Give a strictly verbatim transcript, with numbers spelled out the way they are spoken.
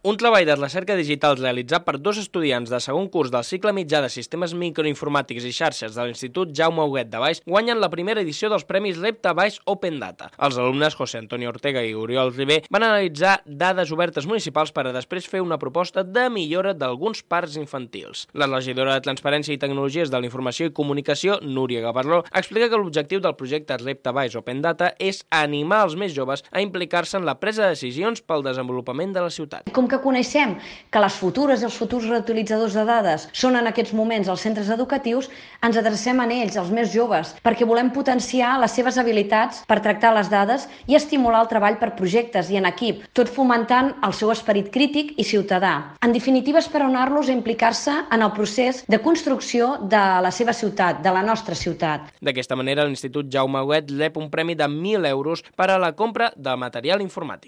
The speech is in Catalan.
Un treball de recerca digital realitzat per dos estudiants de segon curs del cicle mitjà de Sistemes Microinformàtics i Xarxes de l'Institut Jaume Huguet de Baix guanyen la primera edició dels Premis Repte Baix Open Data. Els alumnes José Antonio Ortega i Oriol Ribé van analitzar dades obertes municipals per a després fer una proposta de millora d'alguns parcs infantils. La regidora de Transparència i Tecnologies de la Informació i Comunicació, Núria Gavarró, explica que l'objectiu del projecte Repte Baix Open Data és animar els més joves a implicar-se en la presa de decisions pel desenvolupament de la ciutat. Com que coneixem que les futures i els futurs reutilitzadors de dades són en aquests moments els centres educatius, ens adrecem a ells, els més joves, perquè volem potenciar les seves habilitats per tractar les dades i estimular el treball per projectes i en equip, tot fomentant el seu esperit crític i ciutadà. En definitiva, és per anar-los a implicar-se en el procés de construcció de la seva ciutat, de la nostra ciutat. D'aquesta manera, l'Institut Jaume Huguet rep un premi de mil euros per a la compra de material informàtic.